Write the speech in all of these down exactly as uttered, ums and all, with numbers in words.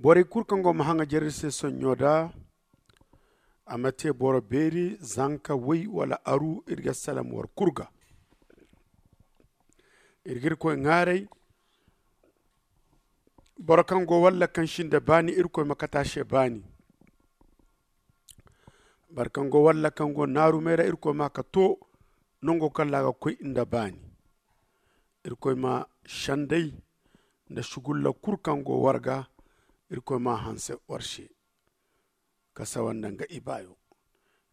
Borey kulu kaŋ go ma haŋajer iri se sonɲo da, a ma te boro beeri, zanka, woy wala aru, iri ga salaŋ war kulu ga. Iri ga irkoy ŋaaray. Boro kaŋ go walla kaŋ si nda baani, irkoy ma kate a se baani. Boro kaŋ go walla kaŋ go naarumey ra, irkoy ma a ka to nango kaŋ ra a ga koy nda baani. Irkoy ma sendey nda sugulla kulu kaŋ go war ga, irkoy ma a hanse war se, ka sawa nda nga ibaayo.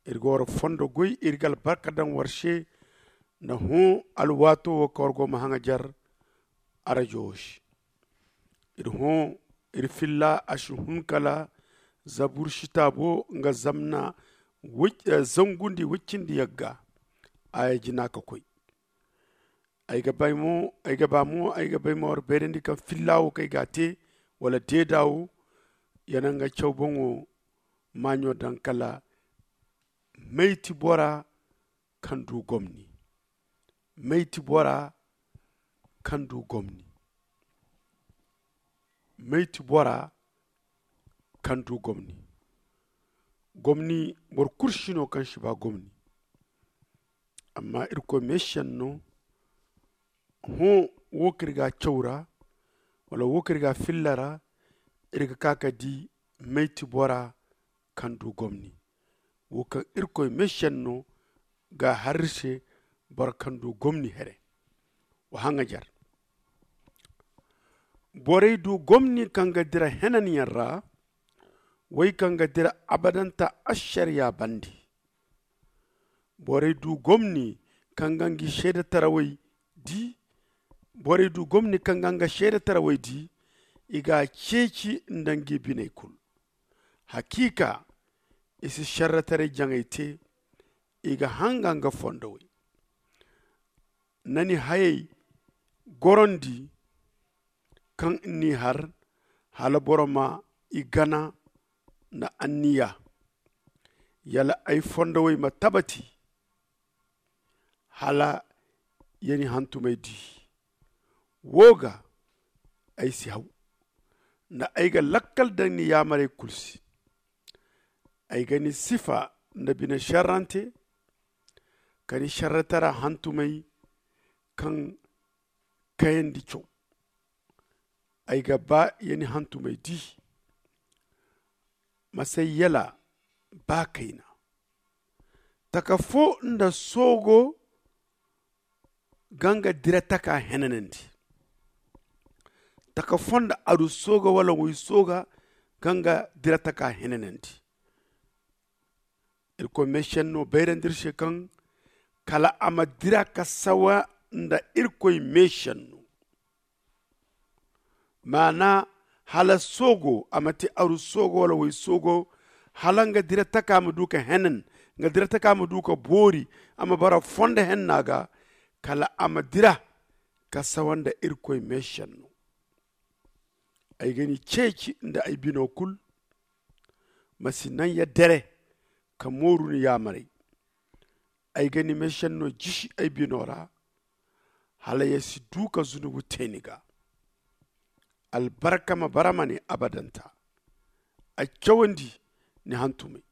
Iri ga war fondo goy, iri ga albarka daŋ war se nda hõ alwaato wo kaŋ war go ma haŋajer arajo wo se. Iri hõ, iri filla a si hun kala zabur sitaabo nga zamna zangu nda i woy cindi yagga. Aya jina ka koy. Ay ga bay mo ay ga ba mo ay ga bay ma war bayrandi kaŋ filla wo kaŋ ay ga a te, wala deeda wo, ya naŋ ga caw boŋo maaɲo daŋ kala mayti bora kaŋ du gomni. Mayti bora kaŋ du gomni. Mayti bora kaŋ du gomni. Gomni boro kulu si no kaŋ si ba gomni. Amma irkoy meesenno hõ, wo kaŋ iri ga a caw ra, wala wo kaŋ iri ga a filla ra, iri ga ka ka di mayti bora kaŋ du gomni. Wo kaŋ irkoy meesenno ga a har iri se, boro kaŋ du gomni here. Wa haŋajer. Borey du gomni kaŋ ga dira henanyaŋ ra, woy kaŋ ga dira abadanta ašariya bande. Borey du gomni kaŋ ga nga seedetarawey di. Borey du gomni kaŋ ga nga seedetarawey di, i ga a ceeci nda nga biney kulu. Hakiika, i si šerretaray jaŋay te. I ga hanga nga fondowey. Na ni hayey gorondi kaŋ ni har, hala boro ma i gana nda anniya. Yala ay fondowey ma tabati hala ya ni hantumey di. Wo ga ay si haw nda ay ga lakkal daŋ ni yaamarey kulu se. Ay ga ni sifa nda bine šerrante, ka ni šerretara hantumey kaŋ kayandi caw. Ay ga ba ya ni hantumey di. Ma say yala ba kayna. Taka fo nda soogo ga nga dira taka henanandi. Taka fo nda aru sooga wala woy sooga ga nga dira taka henanandi. Irkoy meesenno bayrandi iri se kaŋ kala a ma dira ka sawa nda irkoy meesenno. Maana, hala soogo a ma te aru soogo wala woy soogo, hala nga dira taka ma du ka henan, nga dira taka ma du ka boori, a ma bara fondo henna ga, kala a ma dira ka sawa nda irkoy meesenno. Ay ga ni ceeci nda ay bino kulu. Ma si naŋ ya dere ka mooru ni yaamarey. Ay ga ni meesenno jisi ay bino ra, hala ya si du ka zunubu te ni ga. Albarka ma bara ma ne abadanta. A cawandi ni hantumey.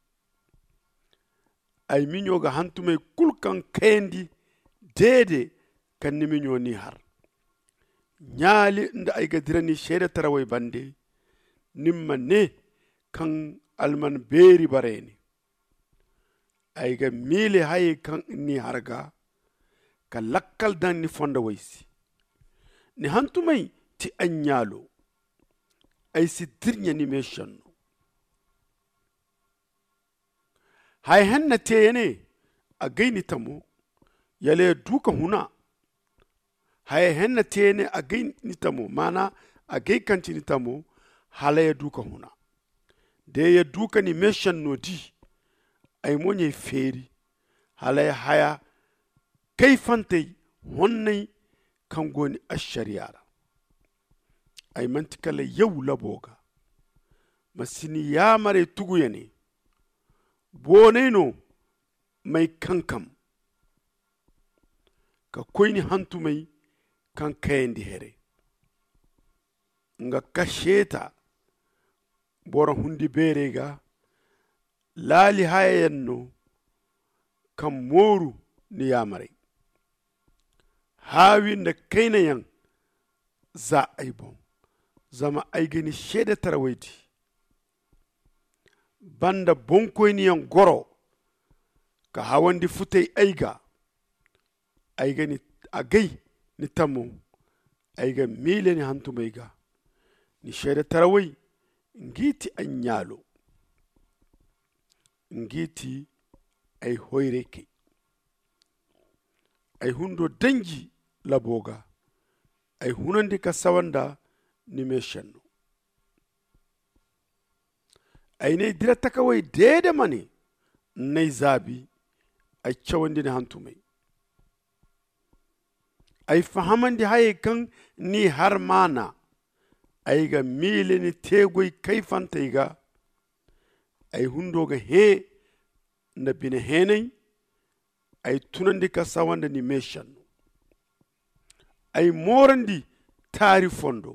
Ay miɲo ga hantumey kulu kaŋ kayandi deede kaŋ ni miɲo n'i har. Ɲaali nda ay ga dira ni seedetarawey bande, ni ma ne kaŋ alman beeri barey ne. Ay ga miile hayey kaŋ ni har ga ka lakkal daŋ ni fondowey se. Ni hantumey ti ay ɲaalo. Ay si dirɲa ni meesenno. Haya henna te ya ne, a gay ni tamo. Yala ya du ka huna. Haya henna te ya ne, a gay ni tamo, maana a gay kaŋ ti ni tamo. Hala ya du ka huna. Da ya du ka ni meesenno di, ay mo ɲ'ay feeri. Hala ya haya kayfantey honney kaŋ go ni ašariya ra. Ay manti kala yaw labo ga. Ma si ni yaamarey tugu ya ne. Boonay no m'ay kankam ka koy ni hantumey kaŋ kayandi here. Nga kaseeta boro hundi beerey ga. Laali hayayaŋ no kaŋ mooru ni yaamarey. Haawi nda kaynayaŋ za ay boŋ. Zama ay ga ni seedetarawey di banda boŋkoyniyaŋ goro ka hawandi futay ay ga. Ay ga ni agay ni tamo. Ay ga miile ni hantumey ga. Ni seedetarawey ngi ti ay ɲaalo. Ngi ti ay hoyray kay. Ay hundo danji labo ga. Ay hunandi ka sawa nda ni meesenno. Ay n'ay dira takawey deede ma ne n'ay zaabi. Ay cawandi ni hantumey. Ay fahamandi hayey kaŋ n'i har maana. Ay ga miile ni teegoy kayfantey ga. Ay hundo ga hẽ nda bine heenay. Ay tunandi ka sawa nda ni meesenno. Ay moorandi taari fondo.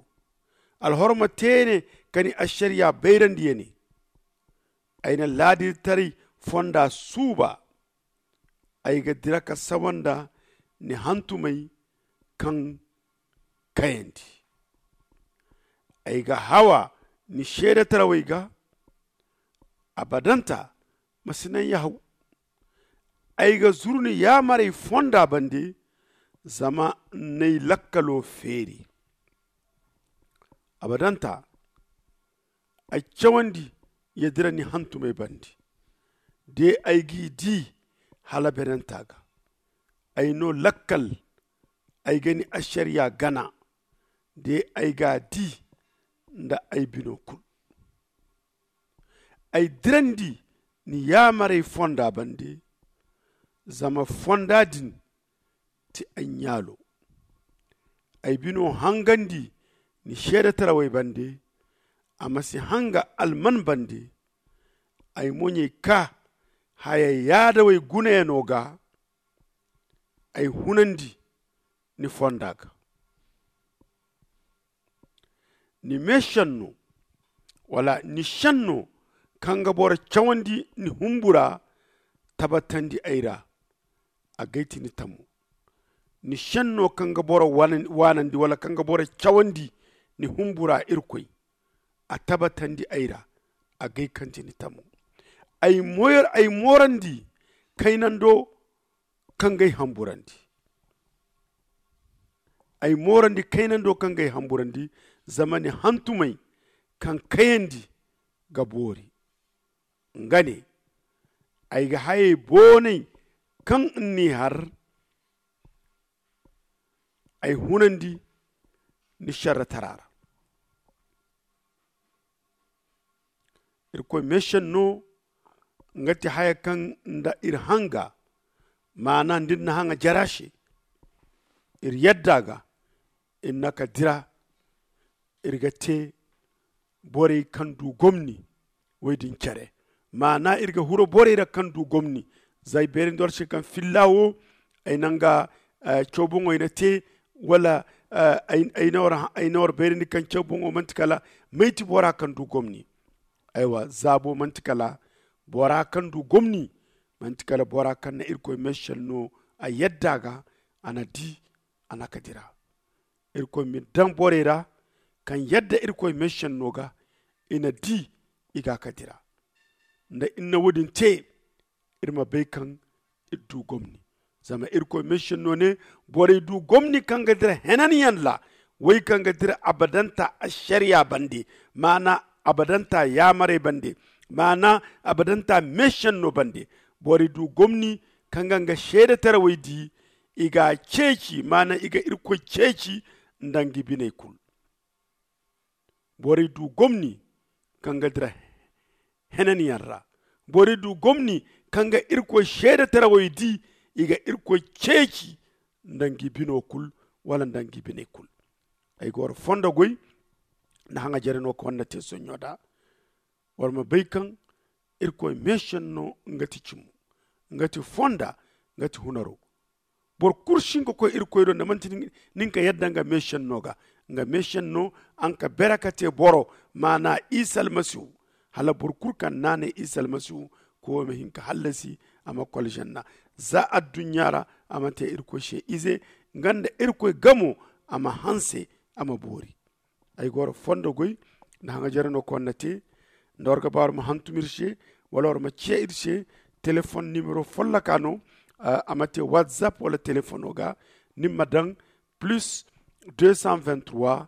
Alhorma teene ka ni ašariya bayrandi ya ne. Ay na laadirtaray fonda suuba. Ay ga dira ka sawa nda ni hantumey kaŋ kayandi. Ay ga hawa ni seedetarawey ga. Abadanta ma si naŋ ya haw. Ay ga zuru ni yaamarey fonda bande. Zama n'ay lakkalo feeri. Abadanta ay cawandi ya dira ni hantumey bande. De ay g'i di hala benanta ga. Ay no lakkal. Ay ga ni ašariya gana. De ay g'a di nda ay bino kulu. Ay dirandi ni yaamarey fonda bande. Zama fonda din ti ay ɲaalo. Ay bino hangandi ni seedetarawey bande. A ma si hanga alman bande. Ay moɲey ka haya yaadawey gunayaŋo ga. Ay hunandi ni fonda ga. Ni meesenno wala ni senno kaŋ ga boro cawandi ni humbura tabatandi ay ra. A gay ti ni tamo. Ni senno kaŋ ga boro waanandi wala kaŋ ga boro cawandi ni humbura irkoy. A tabatandi ay ra. A gay kaŋ ti ni tamo. Ay moorandi kaynando kaŋ g'ay hamburandi. Ay moorandi kaynando kaŋ g'ay hamburandi. Zama ni hantumey kaŋ kayandi ga boori. Nga ne ay ga hayey boonay kaŋ n'i har. Ay hunandi ni šerretara ra. Irkoy meesenno nga ti haya kaŋ nda iri hanga. Maana nda iri na haŋa jara se iri yadda ga. Iri na ka dira iri ga te borey kaŋ du gomni. Wey din care maana iri ga huro borey ra kaŋ du gomni. Za ay beerandi war se kaŋ filla wo ay na nga cawboŋo ay na te wala ay na war beerandi kaŋ cawboŋo manti kala may ti bora kaŋ du gomni. Aywa zaabo manti kala bora kaŋ du gomni. Manti kala bora kaŋ na irkoy meesenno a yadda ga a na di a na ka dira. Irkoy ma iri daŋ borey ra kaŋ yadda irkoy meesenno ga i na di i ga ka dira. Nda iri na wo- din te iri ma bay kaŋ iri du gomni. Zama irkoy meesenno ne borey du gomni kaŋ ga dira henanyaŋ ra. Wey kaŋ ga dira abadanta ašariya bande maana abadanta yaamarey bande maana abadanta meesenno bande. Borey du gomni kaŋ ga nga seedetarawey di i g'a ceeci maana i ga irkoy ceeci nda nga biney kulu. Borey du gomni kaŋ ga dira henanyaŋ ra. Borey du gomni kaŋ ga irkoy seedetarawey di i ga irkoy ceeci nda nga bino kulu wala nda nga biney kulu. Ay ga war fondo goy nda haŋa jare no kaŋ war na te sonɲo da war ma bay kaŋ irkoy meesenno nga ti cimo nga ti fonda nga ti hunaro. Boro kulu si hin ka koy irkoy do nda manti nin ka yadda nga meesenno ga. Nga meesenno a hin ka bere ka te boro maana isa almasihu. Hala boro kulu kaŋ naanay isa almasihu koyo ma hin ka hallasi, a ma kol janna za adduɲɲa ra. A ma te irkoy se ize nga nda irkoy gamo. A ma hanse, a ma boori. Ay ga war fondo goy nda haŋajere no kaŋ war na te. Nda war ga ba war ma hantum ir se, wala war ma ciya ir se, telefon nimero folloka no. A ma te whatsapp wala telefono ga. Ni ma daŋ plus deux cent vingt trois,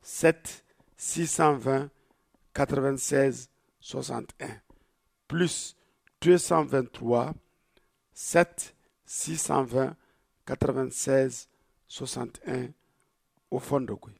sept six cent vingt, quatre vingt seize, soixante un. Plus deux cent vingt trois, sept six cent vingt, quatre vingt seize, soixante un. O fondo goy.